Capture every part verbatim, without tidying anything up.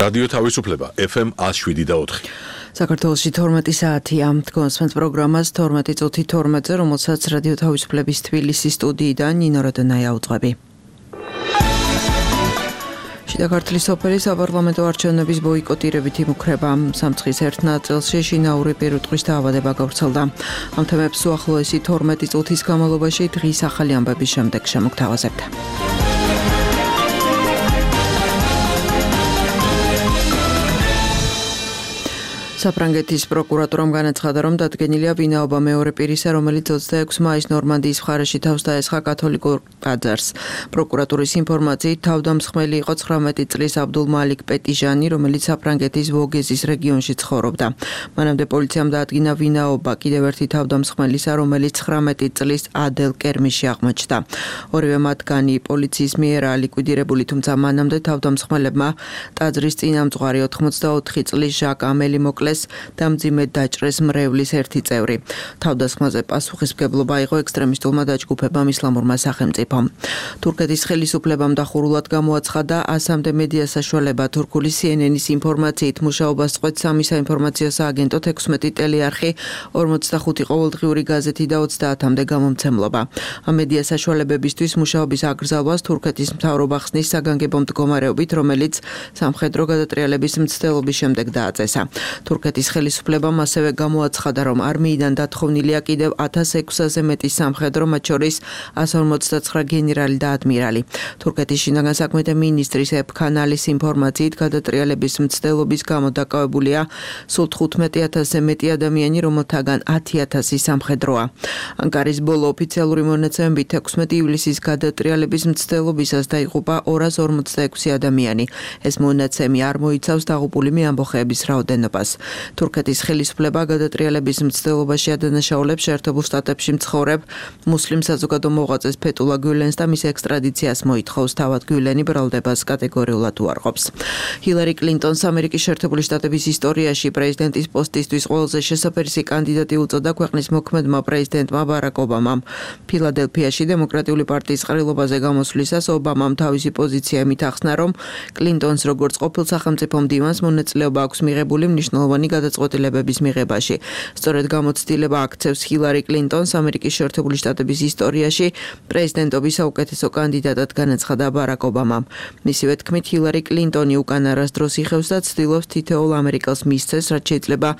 რადიო თავისუფლება ეფ ემ one oh seven და four. საქართველოში თორმეტი საათია. გონსმენთ პროგრამას თორმეტი წუთი თორმეტზე, რომელსაც რადიო თავისუფლების თბილისის სტუდიიდან ნინო როდონაია უძღვები. შიდა ქართლის სოფელი საპარლამენტო არჩევნების ბოიკოტირებით იმუქრება. სამცხის ერთ ნაწილში შინაური პირუტყვის დაავადება გავრცელდა. ამ თემებს უახლოესი თორმეტი წუთის განმავლობაში დღის ახალი ამბების შემდეგ შემოგთავაზებთ. საფრანგეთის პროკურატურამ განაცხადა, რომ დადგენილია ვინაობა მეორე პირისა, რომელიც ოცდაექვსი მაისს ნორმანდიის მხარეში თავს დაესხა კათოლიკურ ტაძარს. პროკურატურის ინფორმაციით, თავდამსხმელი იყო ცხრამეტი წლის აბდულ მალიკ პეტიჟანი, რომელიც საფრანგეთის ვოგეზის რეგიონში ცხოვრობდა. მანამდე პოლიციამ დაადგინა ვინაობა კიდევ ერთი თავდამსხმელისა, რომელიც ცხრამეტი წლის ადელ კერმიში აღმოჩნდა. ორივე მათგანი პოლიციის მიერაა ლიკვიდირებული, თუმცა მანამდე თავდამსხმელებმა ტაძრის წინამძღვარი ოთხმოცდაოთხი წლის ჟაკ ამელი მოკლეს და მძიმედ დაჭრეს მრევლის ერთი წევრი. თავდასხმაზე პასუხისმგებლობა აიღო ექსტრემისტულმა დაჯგუფებამ ისლამურმა სახელმწიფომ. თურქეთის ხელისუფლებამ დახურულად გამოაცხადა ასამდე მედია საშუალება. თურქული სი ენ ენის ინფორმაციით მუშაობას წყვეტს სამი საინფორმაციო სააგენტო, თექვსმეტი ტელეარხი, ორმოცდახუთი ყოველდღიური გაზეთი და ოცდაათამდე გამომცემლობა. ამ მედია საშუალებებისთვის მუშაობის აკრძალვას თურქეთის მთავრობა ხსნის საგანგებო მდგომარეობით, რომელიც სამხედრო გადატრიალების მცდელობის შემდეგ დააწესა. თურქეთის ხელისუფლებამ ასევე გამოაცხადა, რომ არმიიდან დათხოვნილია კიდევ ათას ექვსზე მეტი სამხედრო, მათ შორის one forty-nine გენერალი და ადმირალი. თურქეთის შინაგან საქმეთა მინისტრის ეფ კანალის ინფორმაციით, გადატრიალების მცდელობის გამო დაკავებულია სულ თხუთმეტი ათასზე მეტი ადამიანი, რომელთაგან ათი ათასი სამხედროა. ანკარის ბოლო ოფიციალური მონაცემებით ექვსმეტი ივლისის გადატრიალების მცდელობისას დაიღუპა ორას ორმოცდაექვსი ადამიანი. ეს მონაცემი არ მოიცავს დაღუპული მეამბოხეების რაოდენობას. თურქეთის ხელისუფლება გადატრიალების მცდელობაში ადანაშაულებს შეერთებულ შტატებში მცხოვრებ მუსლიმ საზოგადო მოღვაწეს ფეტულა გულენს და მის ექსტრადიციას მოითხოვს. თავად გულენი ბრალდებას კატეგორიულად უარყოფს. ჰილარი კლინტონს ამერიკის შეერთებული შტატების ისტორიაში პრეზიდენტის პოსტისთვის ყველაზე შესაფერისი კანდიდატი უწოდა ქვეყნის მოქმედმა პრეზიდენტმა ბარაკ ობამამ. ფილადელფიაში დემოკრატიული პარტიის ყრილობაზე გამოსვლისას ობამამ თავისი პოზიცია იმით ახსნა, რომ კლინტონს როგორც ყოფილ სახელმწიფო მდივანს მონაწილეობა აქვს მიღებული მნიშვნელოვანი გადაწყვეტილებების მიღებაში. სწორედ გამოცდილება აქცევს ჰილარი კლინტონს ამერიკის შეერთებული შტატების ისტორიაში პრეზიდენტობის საუკეთესო კანდიდატად განაცხადა ბარაკ ობამამ. მისივე თქმით, ჰილარი კლინტონი უკან არასდროს იხევს და ცდილობს თითოეულ ამერიკელს მისცეს, რაც შეიძლება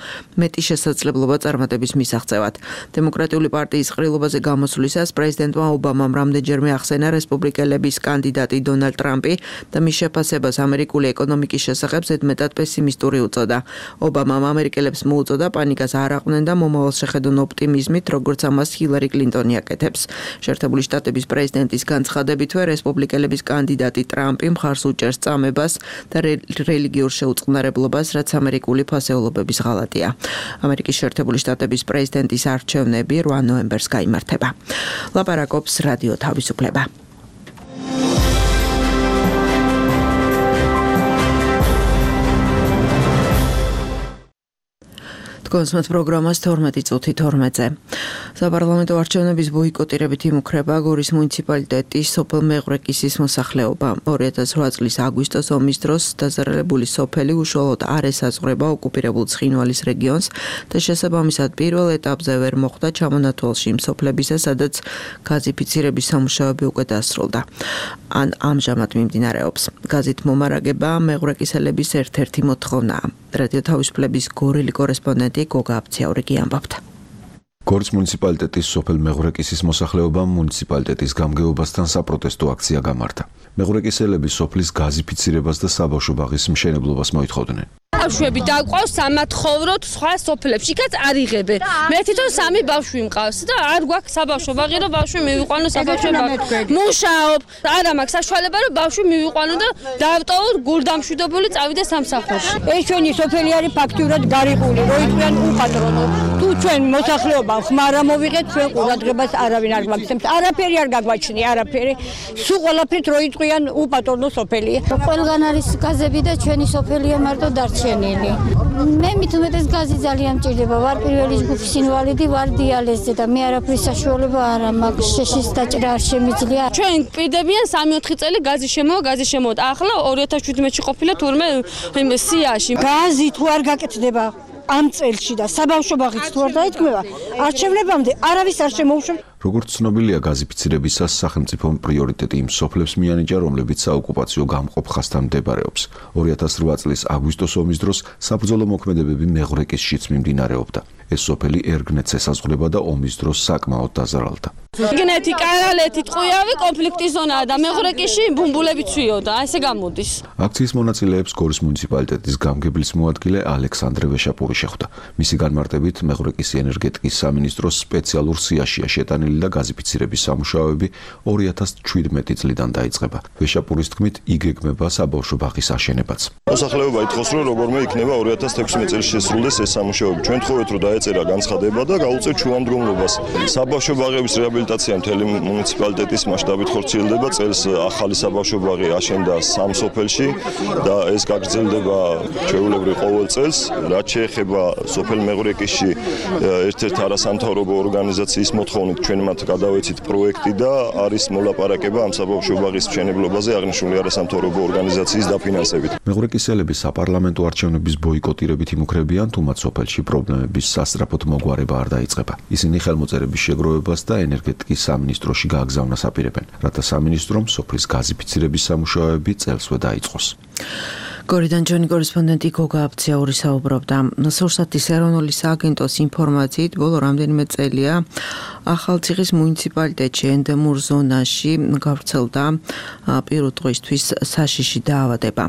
მეტი შესაძლებლობა წარმატების მისაღწევად. დემოკრატიული პარტიის ყრილობაზე გამოსვლისას პრეზიდენტმა ობამამ რამდენჯერმე ახსენა რესპუბლიკელების კანდიდატი დონალდ ტრამპი და მის შეფასებას ამერიკული ეკონომიკის შესახებ ზედმეტად პესიმისტური უწოდა. ობამამ ამერიკელებს მოუწოდა პანიკას არ აყვნენ და მომავალს შეხედონ ოპტიმიზმით, როგორც ამას ჰილარი კლინტონი აკეთებს. შეერთებული შტატების პრეზიდენტის განცხადებითვე რესპუბლიკელების კანდიდატი ტრამპი მხარს უჭერს წამებას და რელიგიურ შეუწყნარებლობას, რაც ამერიკული ფასეულობების ღალატია. ამერიკის შეერთებული შტატების პრეზიდენტის არჩევნები რვა ნოემბერს გაიმართება. ლაპარაკობს რადიო თავისუფლება. გონსმენთ პროგრამას თორმეტი წუთი თორმეტზე. საპარლამენტო არჩევნების ბოიკოტირებით იმუქრება გორის მუნიციპალიტეტის სოფელ მეღვრეკისის მოსახლეობა. ორი ათას რვა წლის აგვისტოს ომის დროს დაზარალებული სოფელი უშუალოდ არ ესაზღვრება ოკუპირებულ ცხინვალის რეგიონს და შესაბამისად პირველ ეტაპზე ვერ მოხვდა ჩამონათვალში იმ სოფლებისა, სადაც გაზიფიცირების სამუშაოები უკვე დასრულდა. ან ამჟამად მიმდინარეობს. გაზით მომარაგება მეღვრეკისელების ერთ-ერთი მოთხოვნაა. რადიო თავისუფლების გორელი კორესპონდენტი გოგა აფციაურიკი ამბობდა. გორის მუნიციპალიტეტის სოფელ მეღვრეკისის მოსახლეობამ მუნიციპალიტეტის გამგეობასთან საპროტესტო აქცია გამართა. მეღვრეკისელები სოფლის გაზიფიცირებას და საბავშვო ბაღის მშენებლობას მოითხოვდნენ. ბავშვები დაყვავს სამათხოვროთ სხვა სოფლებში, კაც არ იღებენ. მე თვითონ სამი ბავშვი მყავს და არ გვაქვს საბავშვო ბაღი, რომ ბავშვი მივიყვანო საბავშვო ბაღში. მუშაობ, არა მაქვს საშუალება, რომ ბავშვი მივიყვანო და დავტოვოთ გულდამშვიდობელი წავიდე სამსახურში. ეს ჩვენი სოფელი არის ფაქტურად გარიყული, რო იყვნენ უპატრონო. თუ ჩვენ მოსახლეობა ხმარ ამოვიღეთ, ჩვენ ყურადღებას არავინ არ გვაქცევს. არაფერი არ გაგვაჩნია, არაფერი. სულ ყველაფერით რო იყვიან უპატრონო სოფელია. ყველგან არის გაზები და ჩვენი სოფელია მარტო დარჩენილი. დარჩენილი. მე მით უმეტეს გაზი ძალიან მჭირდება. ვარ პირველი ჯგუფის ინვალიდი, ვარ დიალიზზე და მე არაფრის საშუალება არ მაქვს. შეშის დაჭრა არ შემიძლია. ჩვენ პირდებიან სამი ოთხი წელი გაზი შემოვა, გაზი შემოვა. ახლა ორი ათას შვიდმეტში ყოფილა თურმე იმ სიაში. გაზი თუ არ გაკეთდება ამ წელში და საბავშვო ბაღიც თუ არ დაიქმება, არჩევნებამდე არავის არ შემოუშვებს. როგორც ცნობილია, გაზიფიცირებისას სახელმწიფომ პრიორიტეტი იმ სოფლებს მიანიჭა, რომლებიც საოკუპაციო გამყოფ ხაზთან მდებარეობს. ორი ათას რვა წლის აგვისტოს ომის დროს საბრძოლო მოქმედებები მეღრეკისშიც მიმდინარეობდა. ეს სოფელი ერგნეთს ესაზღვრება და ომის დროს საკმაოდ დაზარალდა. ერგნეთი, კანალეთი, ტყუიავი კონფლიქტის ზონაა და მეღრეკისში ბუმბულები ცვიოდა, ესე გამოდის. აქციის მონაწილეებს გორის მუნიციპალიტეტის გამგებლის მოადგილე ალექსანდრე ვეშაპური შეხვდა. მისი განმარტებით, მეღრეკის ენერგეტიკის სამინისტროს სპეციალურ სიაშია შეტანილი და გაზიფიცირების სამუშაოები ორი ათას შვიდმეტი წლიდან დაიწყება. ვეშაპურის თქმით, იგეგმება საბავშვო ბაღის აშენებაც. მოსახლეობა ითხოვს, რომ როგორმე იქნება ორი ათას თექვსმეტ წელს შესრულდეს ეს სამუშაოები. ჩვენ თხოვეთ, რომ დაეწერა განცხადება და გაუწევთ შუამდგომლობას. საბავშვო ბაღების რეაბილიტაცია მთელი მუნიციპალიტეტის მასშტაბით ხორციელდება. წელს ახალი საბავშვო ბაღი აშენდა სამ სოფელში და ეს გაგრძელდება ჩვეულებრივ ყოველ წელს. რაც შეეხება სოფელ მეღრეკისში ერთ-ერთ არასამთავრობო ორგანიზაციის მოთხოვნით ჩვენ მათ გადავეცით პროექტი და არის მოლაპარაკება ამ საბავშვო ბაღის მშენებლობაზე აღნიშნული არასამთავრობო ორგანიზაციის დაფინანსებით. მეღრეკისელები საპარლამენტო არჩევნების ბოიკოტირებით იმუქრებიან, თუმცა სოფელში პრობლემების სასწრაფოდ მოგვარება არ დაიწყება. ისინი ხელმოწერების შეგროვებას და ენერგეტიკის სამინისტროში გააგზავნას აპირებენ, რათა სამინისტრომ სოფლის გაზიფიცირების სამუშაოები წელსვე დაიწყოს. გორიდან ჩვენი კორესპონდენტი გოგა აბციაური საუბრობდა. სურსათის ეროვნული სააგენტოს ინფორმაციით, ბოლო რამდენიმე წელია ახალციხის მუნიციპალიტეტში ენდემურ ზონაში გავრცელდა პირუტყვისთვის საშიში დაავადება.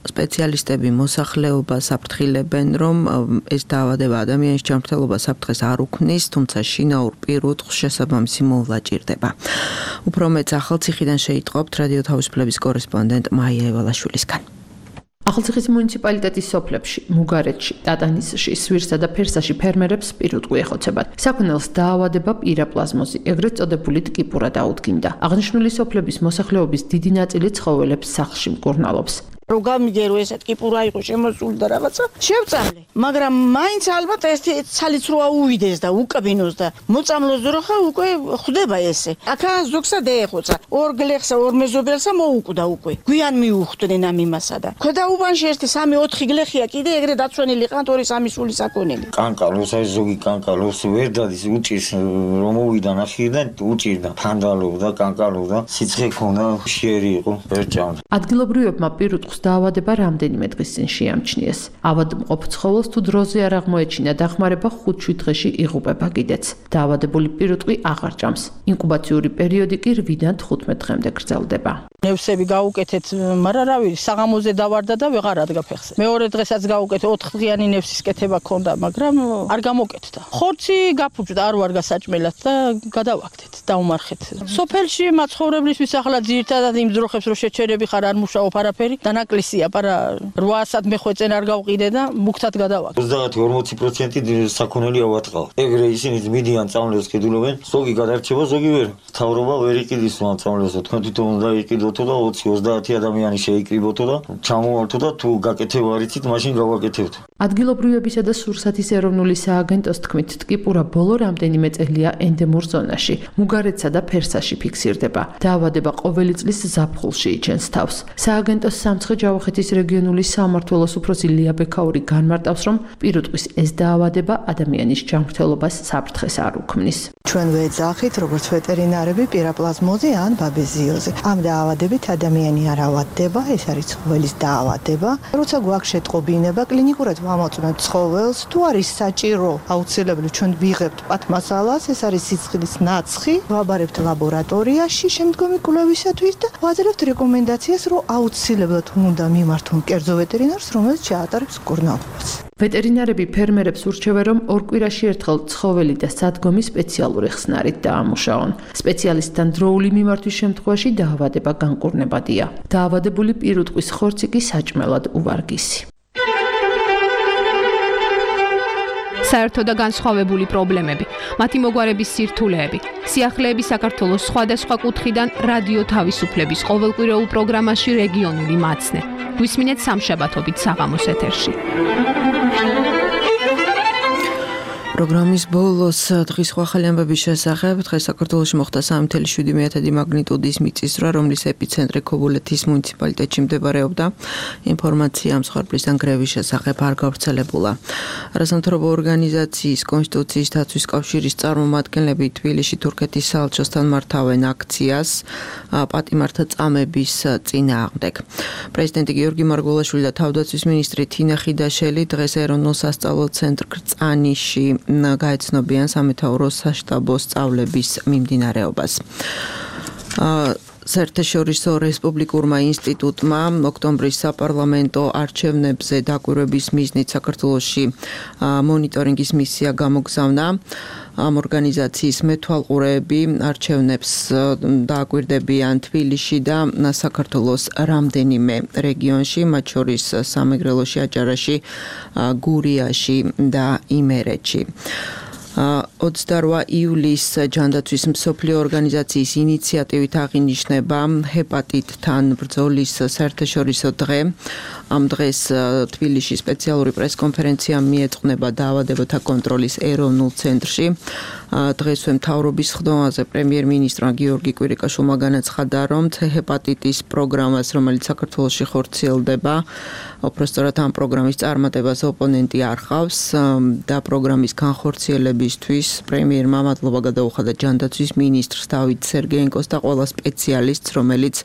სპეციალისტები მოსახლეობას აფრთხილებენ, რომ ეს დაავადება ადამიანის ჯანმრთელობას საფრთხეს არ უქმნის, თუმცა შინაურ პირუტყვს შესაბამისი მოვლა ჭირდება. უფრო მეტს ახალციხიდან შეიტყობთ რადიო თავისუფლების კორესპონდენტ მაია ევალაშვილისგან. ახალციხის მუნიციპალიტეტის სოფლებში, მუგარეთში, ტატანისში, სვირსა და ფერსაში ფერმერებს პირუტყვი ეხოცებათ. საქონელს დაავადება პირაპლაზმოზი, ეგრეთ წოდებული ტკიპურა დაუდგინდა. აღნიშნული სოფლების მოსახლეობის დიდი ნაწილი ცხოველებს სახლში მკურნალობს. რომ გამიგერო ეს ტკიპურა იყო შემოსული და რაღაცა შევწავლე, მაგრამ მაინც ალბათ ეს ცალიც როა უვიდეს და უკაბინოს და მოწამლოს ძროხა უკვე ხვდება ესე. აქა ზოგსა დაეხოცა, ორ გლეხსა, ორ მეზობელსა მოუკვდა უკვე. გვიან მიუხვდნენ ამ იმასა და ქვედა უბანში ერთი სამი ოთხი გლეხია კიდე ეგრე დაცვენილი ყანთ ორი სამი სული საქონელი. კანკალოს აი ზოგი კანკალოს ვერ დადის უჭირს რომ მოვიდა ნახირდა უჭირდა ფანდალობდა კანკალობდა სიცხე ქონდა შიერი იყო ვერ ჭამდა. ადგილობრივებმა პირუტყვს დაავადება რამდენიმე დღის წინ შეამჩნიეს. ავადმყოფ ცხოველს თუ დროზე არ აღმოეჩინა დახმარება ხუთ-შვიდ დღეში იღუპება კიდეც. დაავადებული პირუტყვი აღარ ჭამს. ინკუბაციური პერიოდი კი რვიდან თხუთმეტ დღემდე გრძელდება. ნევსები გაუკეთეთ, მაგრამ რავი, საღამოზე დავარდა და ვეღარ ადგა ფეხზე. მეორე დღესაც გაუკეთე ოთხდღიანი ნევსის კეთება ქონდა, მაგრამ არ გამოკეთდა. ხორცი გაფუჭდა, არ ვარ გასაჭმელად და გადავაქთეთ, დაუმარხეთ. სოფელში მაცხოვრებლისთვის ახლა ძირითადად იმ ძროხებს რო შეჩერები ხარ არ მუშაობ არაფერი და ნაკლისია, პარა რვაასად მეხვეწენ არ გავყიდე და მუქთად გადავაქ. ოცდაათი ორმოცი პროცენტი საქონელი ავატყავ. ეგრე ისინი მიდიან წამლებს კიდულობენ, ზოგი გადარჩება, ზოგი ვერ. მთავრობა ვერ იყიდის ამ წამლებს, თქვენ თვითონ უნდა იყიდოთო და ოცი ოცდაათი ადამიანი შეიკრიბოთო და ჩამოვალთო და თუ გაკეთება არ იცით, მაშინ გავაკეთებთ. ადგილობრივებისა და სურსათის ეროვნული სააგენტოს თქმით, ტკიპურა ბოლო რამდენიმე წელია ენდემურ ზონაში, მუგარეთსა და ფერსაში ფიქსირდება. დაავადება ყოველი წლის ზაფხულში იჩენს თავს. სააგენტოს სამცხე-ჯავახეთის რეგიონული სამმართველოს უფროსი ლია ბექაური განმარტავს, რომ პირუტყვის ეს დაავადება ადამიანის ჯანმრთელობას საფრთხეს არ უქმნის. ჩვენ ვეძახით, როგორც ვეტერინარები, პირაპლაზმოზი ან ბაბეზიოზი. ამ დაავადებით ადამიანი არ ავადდება, ეს არის ცხოველის დაავადება. როცა გვაქვს შეტყობინება, კლინიკურად ვამოწმებთ ცხოველს, თუ არის საჭირო, აუცილებლად ჩვენ ვიღებთ პათმასალას, ეს არის სიცხლის ნაცხი, ვაბარებთ ლაბორატორიაში შემდგომი კვლევისათვის და ვაძლევთ რეკომენდაციას, რომ აუცილებლად უნდა მიმართონ კერძო ვეტერინარს, რომელიც შეატარებს მკურნალობას. ვეტერინარები ფერმერებს ურჩევენ, რომ ორ კვირაში ერთხელ ცხოველი და სადგომი სპეციალური ხსნარით დაამუშაონ. სპეციალისტთან დროული მიმართვის შემთხვევაში დაავადება განკურნებადია. დაავადებული პირუტყვის ხორცი კი საჭმელად უვარგისი. საერთო და განსხვავებული პრობლემები, მათი მოგვარების სირთულეები, სიახლეები საქართველოს სხვადასხვა კუთხიდან რადიო თავისუფლების ყოველკვირეულ პროგრამაში რეგიონული მაცნე. გვისმინეთ სამშაბათობით საღამოს ეთერში. პროგრამის ბოლოს დღის სხვა ახალი ამბების შესახებ დღეს საქართველოში მოხდა სამი ათეული შვიდი მაგნიტუდის მიწისძვრა, რომლის ეპიცენტრი ქობულეთის მუნიციპალიტეტში მდებარეობდა. ინფორმაცია ამ მსხვერპლისგან გრევის შესახებ არ გავრცელებულა. არასამთავრობო ორგანიზაციის კონსტიტუციის დაცვის კავშირის წარმომადგენლები თბილისში თურქეთის საელჩოსთან მართავენ აქციას პატიმართა წამების წინააღმდეგ. პრეზიდენტი გიორგი მარგველაშვილი და თავდაცვის მინისტრი თინა ხიდაშელი დღეს ეროვნულ სასწავლო ცენტრ კრწანიში გაეცნობიან სამეთაურო საშტაბო სწავლების მიმდინარეობას. საერთაშორისო რესპუბლიკურმა ინსტიტუტმა ოქტომბრის საპარლამენტო არჩევნებზე დაკვირვების მიზნით საქართველოში მონიტორინგის მისია გამოგზავნა. ამ ორგანიზაციის მეთვალყურეები არჩევნებს დააკვირდებიან თბილისში და საქართველოს რამდენიმე რეგიონში, მათ შორის სამეგრელოში, აჭარაში, გურიაში და იმერეთში. ოცდაოთხ იulis ჯანდაცვის მსოფლიო ორგანიზაციის ინიციატივით აღინიშნება ჰეპატიტთან ბრძოლის საერთაშორისო დღე. ამ დღეს თბილისში სპეციალური პრესკონფერენცია მიეწყნება დაავადებათა კონტროლის ეროვნულ ცენტრში. დღესვე მთავრობის ხდომაზე პრემიერ-მინისტრმა გიორგი კვირიკაშვილმა განაცხადა, რომ ჰეპატიტის პროგრამას, რომელიც საქართველოში ხორციელდება, უпростоრად ამ პროგრამის წარმატებას ოპონენტი არ ხავს და პროგრამის განხორციელებისთვის პრემიერმა მადლობა გადაუხადა ჯანდაცვის მინისტრს დავით სერგეენკოს და ყველა სპეციალისტს, რომელიც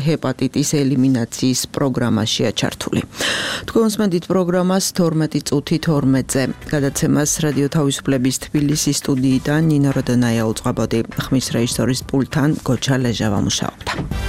ჰეპატიტის ელიმინაციის პროგრამაშია ჩართული. თქვენ უსმენთ პროგრამას თორმეტი წუთი თორმეტზე. გადაცემას რადიო თავისუფლების თბილისის სტუდიიდან ნინო როდონაია უწყებოდი. ხმის რეჟისორის პულტთან გოჩა ლეჟავა მუშაობდა.